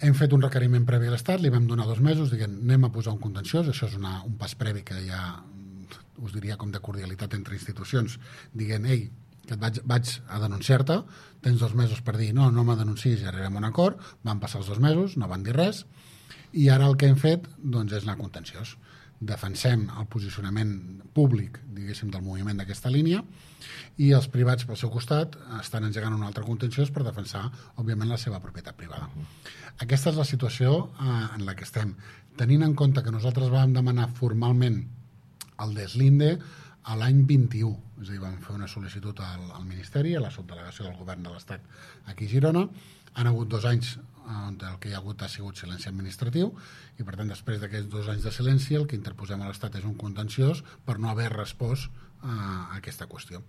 Hem fet un requeriment previ a l'Estat, li vam donar 2 mesos, dient, anem a posar un contenciós, això és un pas previ que ja us diria com de cordialitat entre institucions, dient, ei, que vaig a denunciar-te, tens 2 mesos per dir, no me denuncis i arribem a un acord, van passar els 2 mesos, no van dir res, i ara el que hem fet doncs, és anar contenciós. Defensem el posicionament públic, diguéssim, del moviment d'aquesta línia, i els privats, pel seu costat, estan engegant un altre contenciós per defensar, òbviament, la seva propietat privada. Aquesta és la situació en la que estem. Tenint en compte que nosaltres vam demanar formalment el deslinde a l'any 21, és a dir, vam fer una sol·licitud al Ministeri, a la subdelegació del Govern de l'Estat aquí a Girona. Han hagut 2 anys on el que hi ha hagut ha sigut silenci administratiu i, per tant, després d'aquests 2 anys de silenci, el que interposem a l'Estat és un contenciós per no haver respost a aquesta qüestió.